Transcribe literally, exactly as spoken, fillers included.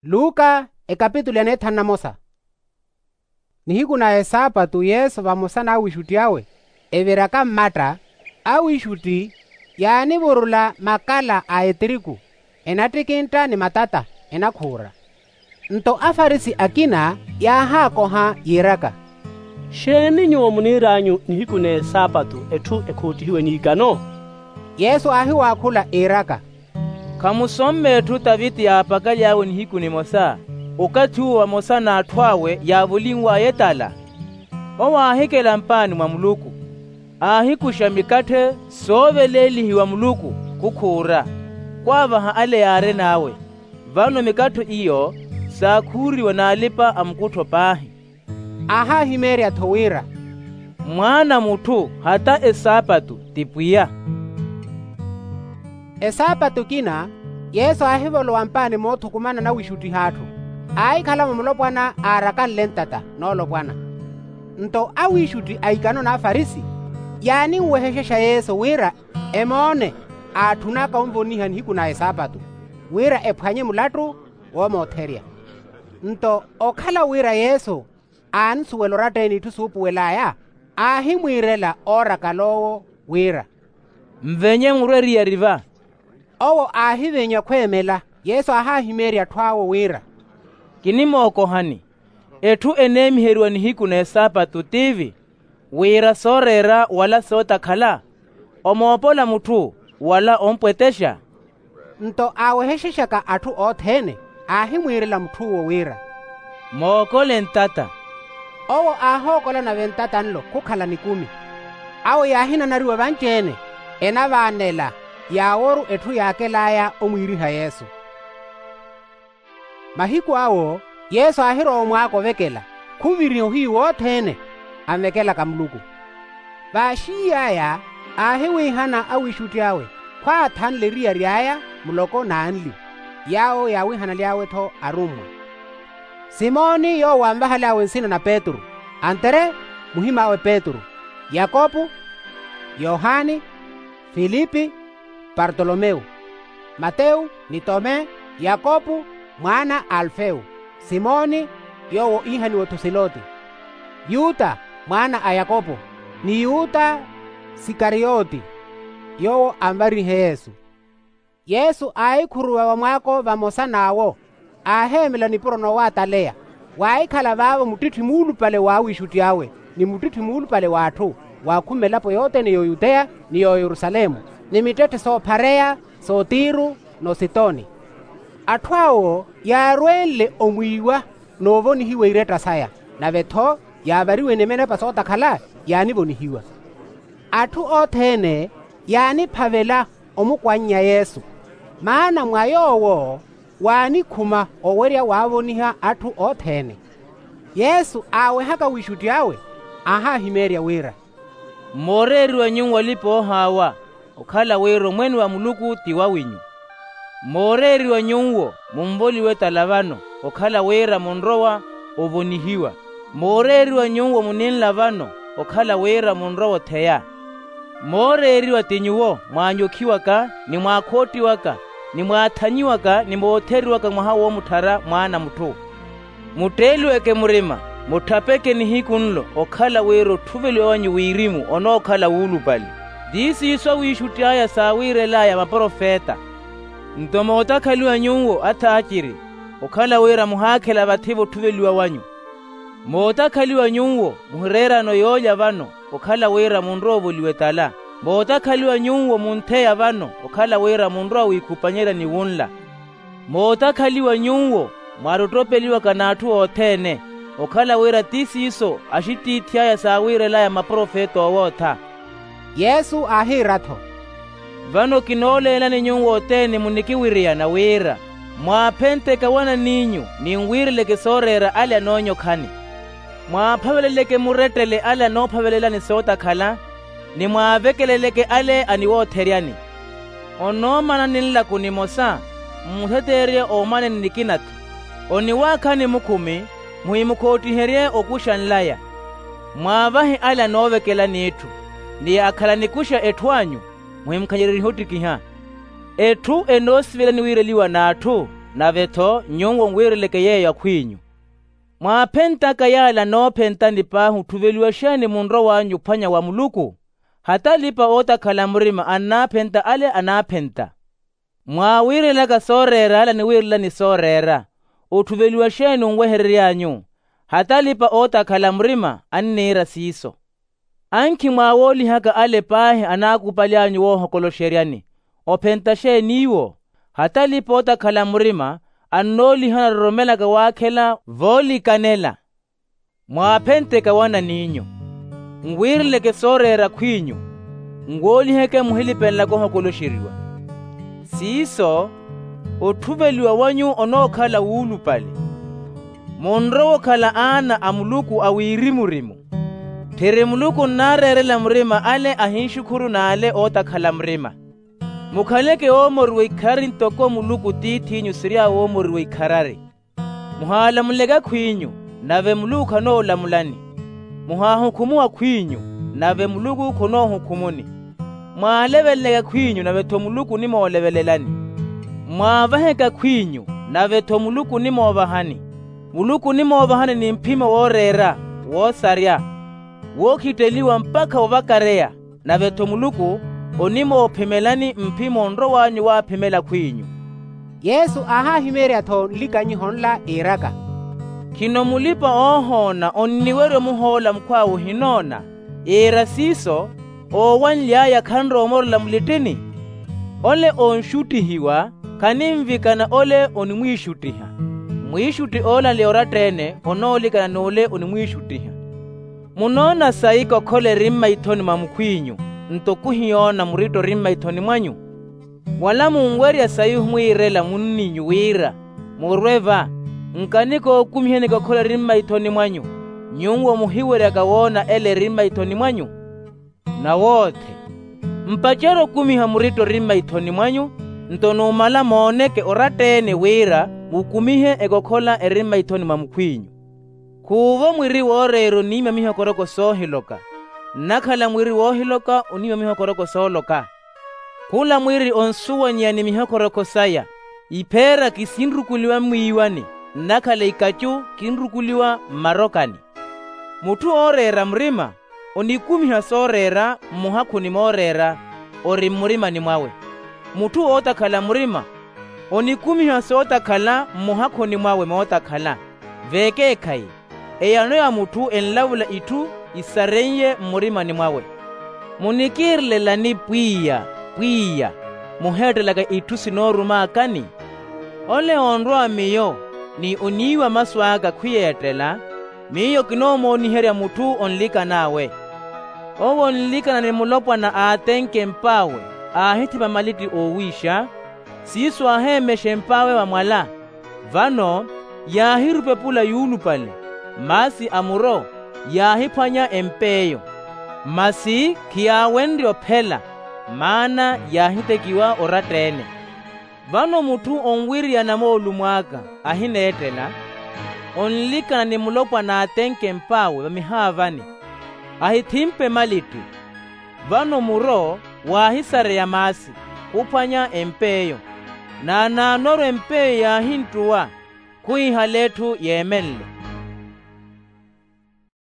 Luka ekapitulu ya neethanu na mosa. Nihiku na esaapatu yesu vamosa n'awiixutti awe eviraka mmatta, awiixutti yaanivurula makala a etiriku enattikintta ni matata enakhuura. Nto afarisi akina yaahaakoha yiiraka, xeeni nyuwo muniir'anyu nihiku n'esaapatu etthu ekhoottihiwe n'ikano? Yesu aahiwaakhula iiraka, khamusomme etthu taviti yaapakaly'awe nihiku nimosa, okathi uwo vamosa n'atthu awe yaavulinw'aya etala? Owo aahikela mpaani mwa muluku, aahikuxa mikatthe sooveleelihiwa muluku khukhuura, khwaavaha ale yaarin'awe. Vano mikattho iyo saakhuuriwa n'alipa-amukuttho paahi. Aahaahimeerya-tho wira, mwaana a mutthu hata esaapatu ti pwiya. Esaapatu ekina yesu aahivolowa mpaani moothukumana nawiixuttiha atthu, aahikhala mumulopwana aarakanle ntata noolopwana. Nto awiixutti a ikano n'afarisi yaaninwehexexa yesu wira emoone aatthunaka onvoniha nihiku na esaapatu, wira ephwanye mulattu woomootherya. Nto okhala wira yesu aansuwela oratta-ene itthu suupuwel'aya, aahimwiirela oorakala owo wira, nvenye murwe eriyari va. Owo aahivinya khweemela. Yesu aahaahimeerya atthu awo wira, kinimookohani, etthu eneemiheriwa nihiku n'esaapatu tiivi, wira sooreera wala sootakhala, omoopola mutthu wala ompwetexa? Nto aawehexexaka atthu othene aahimwiirela mutth'uwo wira, mookole ntata. Owo aahookola nave ntata nlo khukhala nikumi. Awo yaahinanariwa vanci-ene enavaanela yaaworu etthu yaakel'aya omwiiriha yesu. Mahiku awo yesu aahirowa omwaako ovekela khuviriha ohiyu wothene anvekelaka muluku. Vaaxiiy'aya aahiwiihana awiixutti awe khwaathanle eriyari aya muloko n'anli, yaawo yaawiihanaly'awe-tho arummwa. Simoni yoowo anvahaly'awe nsina na petru, antere muhim'awe petru, yakopu, yohani, filipi, partolomewu, matewu, ni tome, yakopu mwaana a alfewu, simoni yoowo iihaniwa-tho siloti, yuta mwaana a yakopu, ni yuta sikariyoti yoowo anvarihe yesu. Yesu aahikhuruwa vamwaako vamosa n'awo, aaheemela nipuro noowaataleya. Waahikhala vaavo muttitthi muulupale w'awiixutti awe, ni muttitthi muulupale w'atthu waakhuma elapo yothene y'oyuteya ni y'oyerusalemu, ni mittetthe soophareya s'otiru n'ositoni. Atthu awo yaarwenle omwiiwa n'ovonihiwa iretta saya, nave-tho yaavariwe ni minepa sootakhala yaanivonihiwa. Atthu othene yaaniphavela omukwannya yesu, maana mwa yoowo waanikhuma owerya waavoniha atthu othene. Yesu aawehaka wiixutti awe, aahaahimeerya wira, mooreeriwa nyuwo alipa-oohaawa, okhala wira omwene wa muluku ti wawinyu. Mooreeriwa nyuwo munvoliwe tala vano, okhala wira munrowa ovonihiwa. Mooreeriwa nyuwo muninla vano, okhala wira munrowa otheya. Mooreeriwa ti nyuwo mwaanyokhiwaka, ni mwaakhottiwaka, ni mwaathanyiwaka ni mootheriwaka mwaha woomutthara mwaana a mutthu. Mutteeliweke murima, mutthapeke nihiku nlo okhala wira otthuveliwa wanyu wirimu onookhala wuulupale. Ti siiso awiixutti aya saawiirel'aya maprofeta. Nto mootakhaliwa nyuwo athaaciri, okhala wira muhaakhela vathi-vo otthuveliwa wanyu. Mootakhaliwa nyuwo muhireerano yoolya vano, okhala wira munrowa ovoliwa etala. Mootakhaliwa nyuwo muntheya vano, okhala wira munrowa wiikhupanyerya ni wunla. Mootakhaliwa nyuwo mwaattottopeliwaka n'atthu othene, okhala wira ti siiso axittiithi aya saawiirel'aya maprofeta oowootha. Yesu aahiira-tho, vano kinooleelani nyuwo othene munikiwiriyana wira, mwaaphenteke awanan'inyu, ni nwiireleke sooreera ale anoonyokhani. Mwaaphaveleleke murettele ale anoophavelelani sootakhala, ni mwaavekeleleke ale aniwootheryani. Onoomana ni nlaku nimosa, mmutheteerye oomaneni nikina-tho. Oniwaakhani mukhumi, muhimukhoottiherye okuxa nlaya. Mwaavahe ale anoovekelani itthu, ni akhala anikuxa etthu anyu, muhimukhanyeryerihe ottikiha. Etthu enoosivela eniwiireliwa n'atthu, Nave-tho nyuwo nwiireleke yeeyo akhw'inyu. Mwaaphentaka yaala anoophentani paahi otthuveliwa xeeni munrow'anyu ophwanya wa muluku? Hata alipa-ootakhala murima annaaphenta ale anaaphenta. Mwaawiirelaka sooreera ale aniwiirelani sooreera. Otthuveliwa xeeni onweherery'anyu? Hata alipa-ootakhala murima anniira siiso. Ankhi mwaawoolihaka ale paahi anaakupaly'anyu woohokoloxeryani. Ophenta xeeni iwo? Hata alipa-ootakhala murima annoolihana aroromelaka waakhela voolikanela. Mwaaphenteke awanan'inyu. Nwiireleke sooreera akhw'inyu. Nwooliheke muhilipenlaka ohokoloxeriwa. Siiso, otthuveliwa wanyu onookhala wuulupale. Munrowe okhala aana a muluku a wiirimurimu. Tthiri muluku onnaareerela murima ale ahinxukhuru n'ale ootakhala murima. Mukhaleke oomoriwa ikharari ntoko muluku tiith'inyu siry'awe oomoriwa ikharari. Muhaalamuleke akhw'inyu, nave muluku khanoolamulani. Muhaahukhumuwe akhw'inyu, nave muluku khonoohukhumuni. Mwaaleveleleke akhw'inyu nave-tho muluku onimoolevelelani. Mwaavaheke akhw'inyu, nave-tho muluku onimoovahani. Muluku onimoovahani ni mphimo wooreera, woosarya, wookhitteliwa mpakha ovakareya. Nave-tho muluku onimoophimelani mphimo onrow'anyu waaphimela akhw'inyu. Yesu aahahimeerya-tho nlikanyiho nla iiraka, khino mulipa-oohoona onniwerya omuhoola mukhw'awe ohinoona? Iira siiso, oowanly'aya khanrowa omorela mulittini. Ole onxuttihiwa khaninvikana ole onimwiixuttiha. Mwiixutti oole anli oratta-ene onoolikana n'ule onimwiixuttiha. Munoona sayi kokhola eri mmaithoni mwa mukhw'inyu, nto khuhiyoona muritto eri mmaithoni mwanyu? Wala munwerya sayi ohimwiirela munniinyu wira, murwe va, nkanikookumiheni kokhola eri mmaithoni mwanyu, nyuwo muhiweryaka woona ele eri mmaithoni mwanyu? Nawoothe, mpacerye okumiha muritto eri mmaithoni mwanyu, nto numala mooneke oratta-ene wira mukumihe ekokhola eri mmaithoni mwa mukhw'inyu. Khuuvo mwiri wooreera oniima mihokoroko soohiloka, nnakhala mwiri woohiloka oniima mihokoroko sooloka. Khula mwiri onsuwanyeya ni mihokoroko saya. Ipheera kisinrukuliwa mwiiwani, nnakhala ikacu kinrukuliwa mmarokani. Mutthu ooreera murima onikumiha sooreera mmuhakhuni mooreera ori mmurimani mwawe. Mutthu ootakhala murima onikumiha sootakhala mmuhakhuni mwawe mootakhala. Vekeekhayi, eyano ya mutthu enlavula itthu isareiye mmurimani mwawe. Munikiirelelani pwiya pwiya, muheettelaka itthu sinoorumaakani? Ole onrowa miyo ni oniiwa masu aka khwiyeettela, miyo kinoomooniherya mutthu onlikan'awe. Owo onlikana ni mulopwana aatenke emp'awe, aahithipa malitti oowiixa, siiso aaheemexa emp'awe vamwala. Vano yaahirupepula yuulupale, maasi a muro yaahiphwanya emp'eyo. Masi khiyaawenrye ophela, maana yaahitekiwa oratta-ene. Vano mutthu onwiriyana moolumo aka ahineettela, onlikana ni mulopwana aatenke emp'awe vamihaavani, ahithimpe malitti. Vano muro waahisareya maasi, khuphwanya emp'eyo. Naanaanoru emp'eyo yaahinttuwa, khuhihala etthu yeemenle.